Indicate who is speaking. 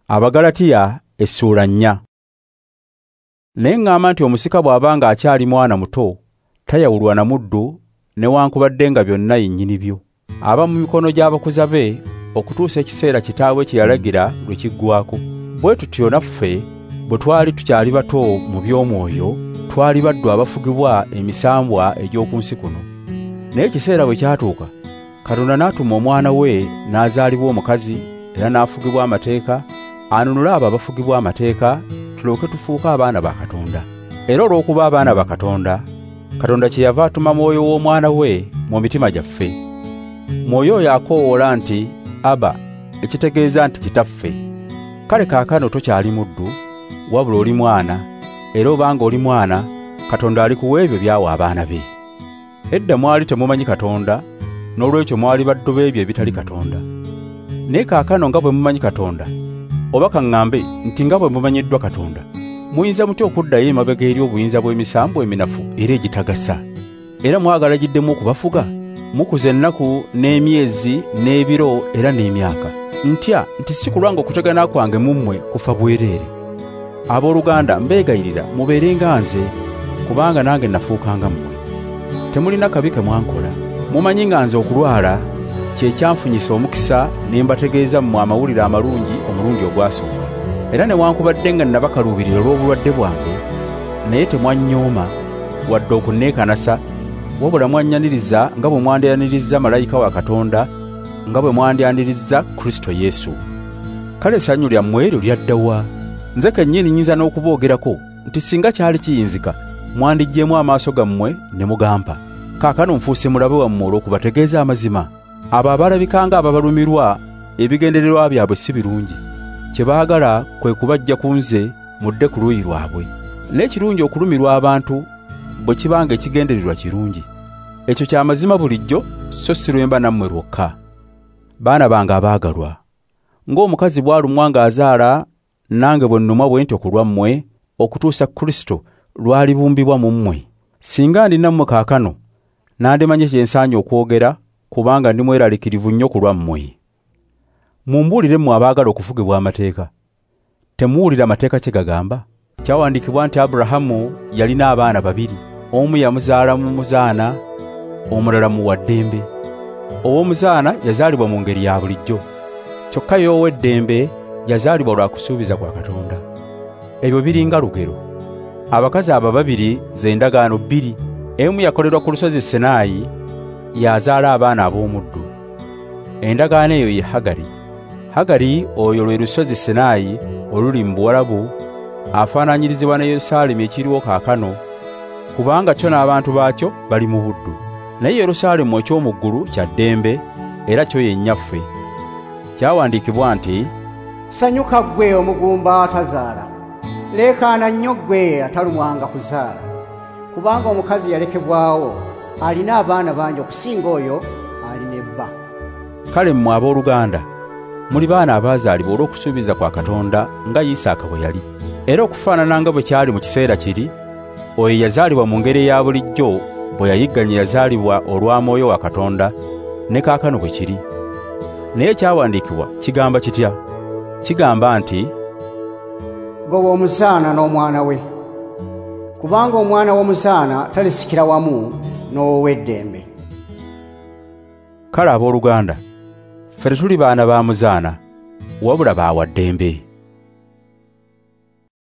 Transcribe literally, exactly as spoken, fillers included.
Speaker 1: Abagalatiya essuula nnya. Naye ŋŋamba nti omusika bw'abanga akyali mwana muto tayawulwa na muddu newankubadde nga byonna yennyini byo. Aba mu mikono gy'abakuza be okutuusa ekiseera kitaawe kye yalagira lwe kiggwaako. Bwe tutyo naffe bwe twali tukyali bato mu by'omwoyo twali baddu abafugibwa emisambwa egy'oku nsi kuno. Naye ekiseera bwe kyatuuka, Katonda n'atuma omwana we n'azaalibwa omukazi era n'afugibwa amateeka, anunule abo abafugibwa amateeka tulyoke tufuuke abaana ba Katonda. Era olw'okuba abaana ba Katonda, Katonda kyeyava atuma Mwoyo w'omwana we mu mitima gyaffe. Mwoyo oyo akoowoola nti Aba, ekitegeeza nti Kitaffe. Kale kaakano tokyali muddu, wabula oli mwana, era obanga oli mwana, Katonda alikuwa ebyo by'awa abaana be. Edda mwali temumanyi Katonda, n'olwekyo mwali baddu b'ebyo ebitali Katonda. Naye kaakano nga bwe mumanyi Katonda, oba kaŋŋambe nti nga bwe mumanyiddwa Katonda, muyinza mutya okuddayo emabega eri obuyinza bw'emisambu eminafu era egitagasa? Era mwagala giddemu okubafuga? Mukuza ennaku n'emyezi n'ebiro era n'emyaka. Ntya nti si kulwanga okutegana kwange mu mmwe kufa bwereere. Abooluganda mbeegayirira mubeere nga nze, kubanga nange nafuukanga mmwe. Temulina kabi ke mwankola. Mumanyi nga nze okulwala kye kyanfunyisa omukisa ne mbategeeza mmwe amawulire amalungi omulundi ogwasooka. Era newankubadde nga nabakaluubirira olw'obulwadde bwange, naye temwannyooma wadde okunneekanasa, wabula mwannyaniriza nga bwe mwandyaniriza malayika wa Katonda, nga bwe mwandyaniriza Kristo Yesu. Kale essanyu lyammwe eryo lyadda wa? Nze kennyini nnyinza n'okuboogerako nti singa kyali kiyinzika mwandiggyemu amaaso gammwe ne mugampa. Kaakano nfuuse mulabe wammwe olw'okubategeeza amazima. Abo abalabika nga ababalumirwa ebigendererwa byabwe si birungi. Kye baagala kwe kubajja ku nze mudde ku luuyi lwabwe. Naye kirungi okulumirwa abantu bwe kibanga ekigendererwa kirungi. Ekyo kya mazima bulijjo, so si lwemba nammwe lwokka. Baana bange abaagalwa, ng'omukazi bw'alumwa ng'azaala, nange bwe nnumwa bwe ntyo ku lwammwe okutuusa Kristo lw'alibumbibwa mu mmwe. Singa ndi nammwe kaakano, nandimanye kye nsaanye okwogera, kubanga ndi mweraliikirivu nnyo ku lwammwe. Mumbuulire mmwe abaagala okufugibwa amateeka. Temuwulira amateeka kye gagamba? Kyawandiikibwa nti Aburahamu yalina abaana babiri, omu yamuzaala mu muzaana, omulala mu wa ddembe. Ow'omuzaana yazaalibwa mu ngeri ya bulijjo, kyokka ye ow'eddembe yazaalibwa lwa kusuubiza kwa Katonda. Ebyo biringa lugero. Abakazi abo babiri ze ndagaano bbiri, emu yakolerwa ku lusozi Sinaayi, yazaala abaana ab'omuddu. Endagaano eyo ye Hagari. Hagari oyo lwe lusozi Sinaayi oluli mu Buwarabu, afaananyirizibwa ne Yerusaalemi ekiriwo kaakano, kubanga kyo n'abantu baakyo bali mu buddu. Naye Yerusaalemu eky'omu ggulu kya ddembe, era kyo ye nnyaffe. Kyawandiikibwa nti,
Speaker 2: Sanyuka ggwe omugumba atazaala, leekaana nnyo ggwe atalumwanga kuzaala, kubanga omukazi yalekebwawo alina abaana bangi okusinga oyo alina ebba.
Speaker 1: Kale mmwe abooluganda, muli baana abaazaalibwa olw'okusuubiza kwa Katonda nga Isaaka bwe yali. Era okufaanana nga bwe kyali mu kiseera kiri, oyo yazaalibwa mu ngeri eya bulijjo bwe yayigganya yazaalibwa olwa Mwoyo wa Katonda, ne kaakano bwe kiri. Naye ekyawandiikibwa kigamba kitya? Kigamba nti,
Speaker 2: Goba omuzaana n'omwana we, kubanga omwana w'omuzaana talisikira wamu n'ow'eddembe.
Speaker 1: Kale abooluganda, ffe tetuli baana ba muzaana, wabula ba wa ddembe.